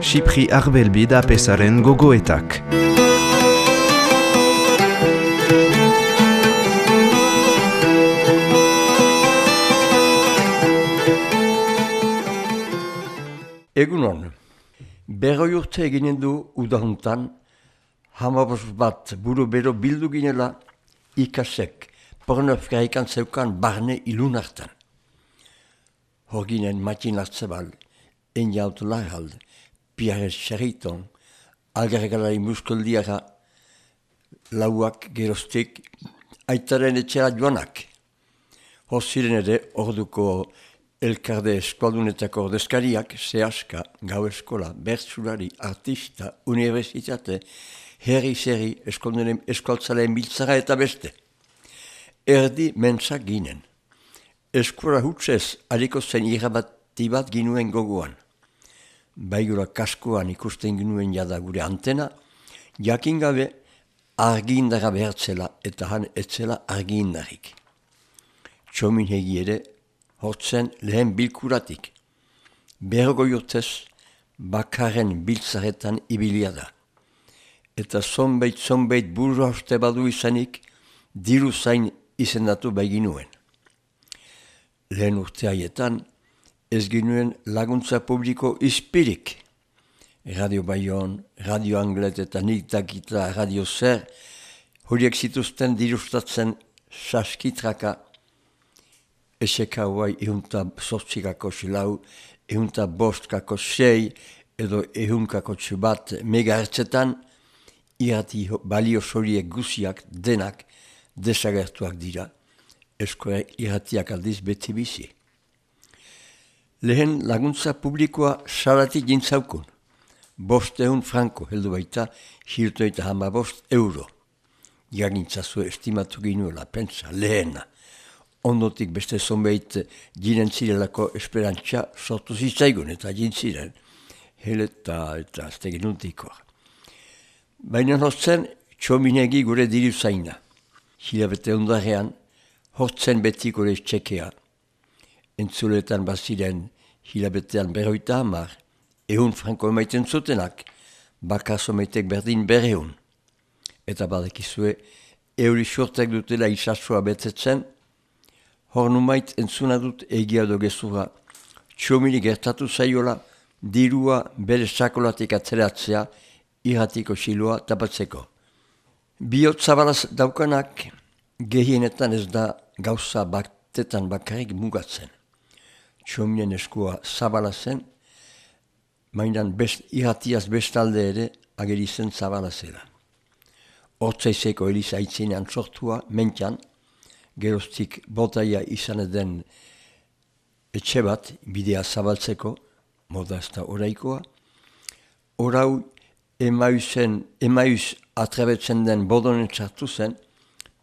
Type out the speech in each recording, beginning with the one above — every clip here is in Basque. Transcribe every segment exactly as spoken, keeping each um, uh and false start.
Xipri Arbelbi da pesaren gogoetak. Egunon, berroi urte eginen du udahuntan, hamabos bat buru bero bildu ginela ikasek pornof gaikan zeukan barne ilun hartan. Hor ginen Matin Artzabal, Enjaut Larald, Pierre Chariton, algargalari muskoldiara, lauak gerostik, aitaren etxera joanak. Hor ziren ere orduko elkarde eskualdunetako ordezkariak, sehaska, gau eskola, bertsulari, artista, universitate, herri-zerri, eskualtzaleen biltzara eta beste. Erdi mentsak ginen. Eskura hutsez aliko zen irabati bat ginuen gogoan. Baigura kaskoan ikusten ginuen jada gure antena, jakin gabe argindara behartzela eta han etzela argindarik. Txomin hegi ere, hortzen lehen bilkuratik. Bergoi urtez bakarren biltzaretan ibilia da. Eta zonbeit-zonbeit buru hauste badu izanik, diru zain izendatu baiginuen. Lehen urte haietan, ez ginuen laguntza publiko izpirik. Radio Bayon, Radio Anglet eta nik dakita Radio Zer, horiek zituzten dirustatzen saskitraka, eseka huai ehunta sortzikako silau, ehunta bostkako sei, edo ehunkako txubat megahertzetan, irati balio horiek guziak denak desagertuak dira, eskola iratiak aldiz beti bizi. Lehen laguntza publikoa salatik jintzaukun, bost ehun franko heldu baita, hilto eta hama bost euro. Jagintzazu estimatu ginuela, pentsa, lehena. Ondotik beste zonbeit jinen zirelako esperantza sortu zitzaigun eta jintziren, heleta eta azte genuntikoa. Baina hortzen, txominegi gure diru zaina. Hilabete ondarean, hortzen beti gure txekea. Entzuletan baziren hilabetean berroita hamar, ehun franko emaiten zutenak, bakaso meitek berdin berreun. Eta badekizue, euri sortek dutela isasua betetzen, hor numait entzuna dut egia do gezurra, txomini gertatu zaiola, dirua bere sakolatik atzeratzea, irratiko siloa tapatzeko. Biot zabalaz daukanak, gehienetan ez da gauza batetan bakarrik mugatzen. Txominen eskua zabalazen, mainan best, irratiaz bestalde ere agerizen zabalazela. Hortzaizeko eliza aitzinean sortua, mentxan, geroztik botaia izan den etxe bat, bidea zabaltzeko, moda ez da oraikoa. Orau emaiuzen, emaiuz atrebetzen den bodonen txartu zen,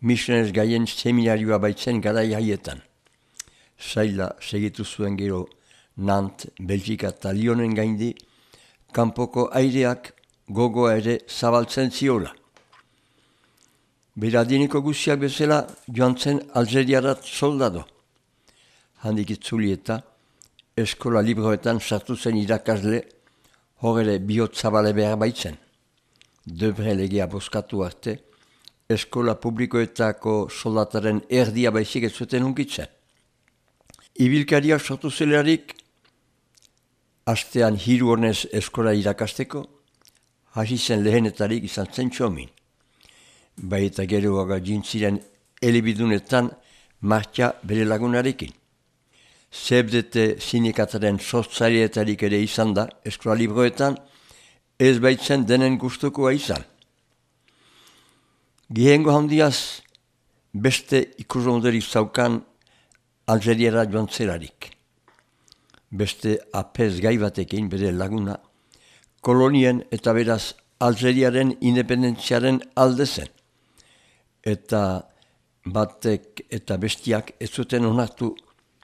misionez gaien seminarioa baitzen garai haietan. Zaila segitu zuen gero Nant, Belgika eta Lyonen gaindi, kanpoko aireak gogoa ere zabaltzen ziola. Beradiniko guziak bezala joan zen Algeriarat soldado. Handik itzuli eta eskola libroetan sartu zen irakasle, hor ere bihot zabale behar baitzen. Debre legea boskatu arte, eskola publikoetako soldataren erdia baizik ez zuten hunkitzen. Ibilkaria sortu zelarik, astean hiru honez eskola irakasteko, hasi zen lehenetarik izan zen txomin. Bai eta geroaga jintziren elebidunetan martxa bere lagunarekin. Zebdete sindikataren sortzaileetarik ere izan da, eskola libroetan, ez baitzen denen gustukoa izan. Gihengo handiaz, beste ikusonderik zaukan Algeriara joan zelarik. Beste apez gai batekin bere laguna, kolonien eta beraz Algeriaren independentziaren alde zen. Eta batek eta bestiak ez zuten onartu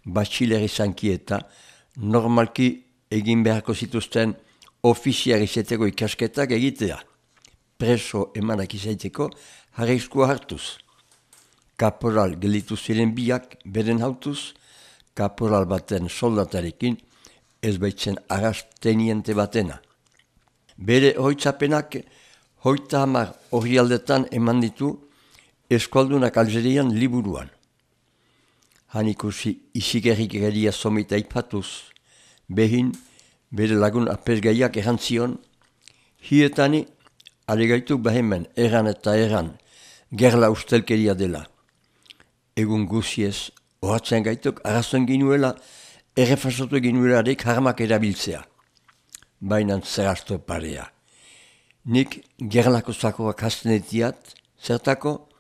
batxiler izanki eta normalki egin beharko zituzten ofiziar izeteko ikasketak egitea. Preso emanak izaiteko jarrizkoa hartuz. Kaporal gelitu ziren biak beren hautuz, kaporal baten soldatarekin ez baitzen arrasteniente batena. Bere hoitzapenak hoita hamar orrialdetan eman ditu eskualdunak Algerian liburuan. Han ikusi isigerrik geria somita ipatuz, behin bere lagun apesgaiak erantzion, hietani alegaituk behemen eran eta eran gerla ustelkeria dela. Egun guziez, ohatzen gaituk arrazon ginuela, errefasatu ginuelarik harmak erabiltzea. Bainan zerrasto parea. Nik gerlako zakoak hastenetiat, zertako,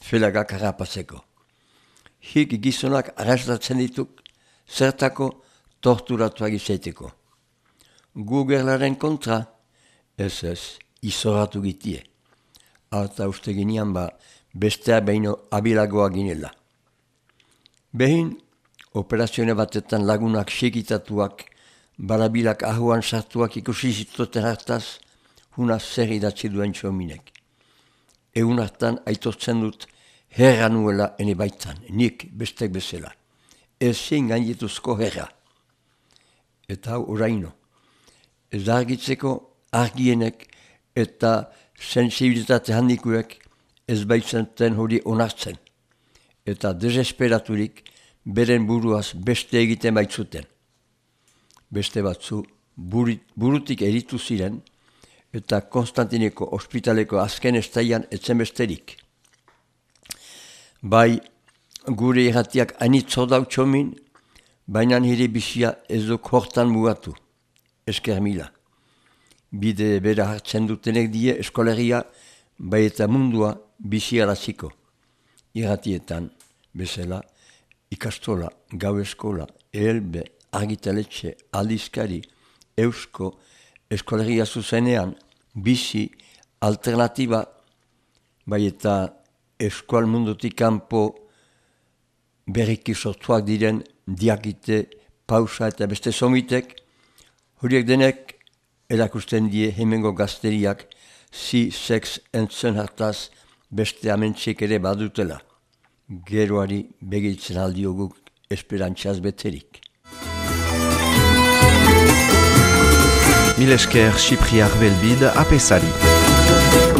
felagak harrapazeko. Hik gizonak arrastatzen dituk, zertako torturatuak izaiteko. Gu gerlaren kontra, ez ez, izoratu gitie. Eta uste ginean ba, bestea behin abilagoa ginela. Behin, operazione batetan lagunak sekitatuak, barabilak ahuan sartuak ikusi zituzten hartaz, huna zer idatzi duen txominek. Egun hartan aitortzen dut herra nuela ene baitan, nik bestek bezala. Ezin gainetuzko herra. Eta hau oraino. Ez argitzeko argienek eta sensibilitate handikuek ez baitzenten hori onartzen. Eta desesperaturik beren buruaz beste egiten baitzuten. Beste batzu burit, burutik eritu ziren eta Konstantineko ospitaleko azken estaian etzen besterik. Bai, gure irratiak anitzo dau txomin, baina nire bizia ez duk hortan mugatu. Esker mila. Bide bera hartzen dutenek die eskolegia, bai eta mundua biziaraziko. Irratietan, bezala, ikastola, gau eskola, elbe, argitaletxe, aldizkari, eusko, eskolegia zuzenean, bizi, alternatiba, bai eta eskual mundutik kanpo berriki sortuak diren diakite, pausa eta beste somitek, horiek denek erakusten die hemengo gazteriak zi sex entzun hartaz beste amentxek ere badutela. Geroari begitzen aldioguk esperantzaz beterik. Mil esker Chypriar Belbide apesari.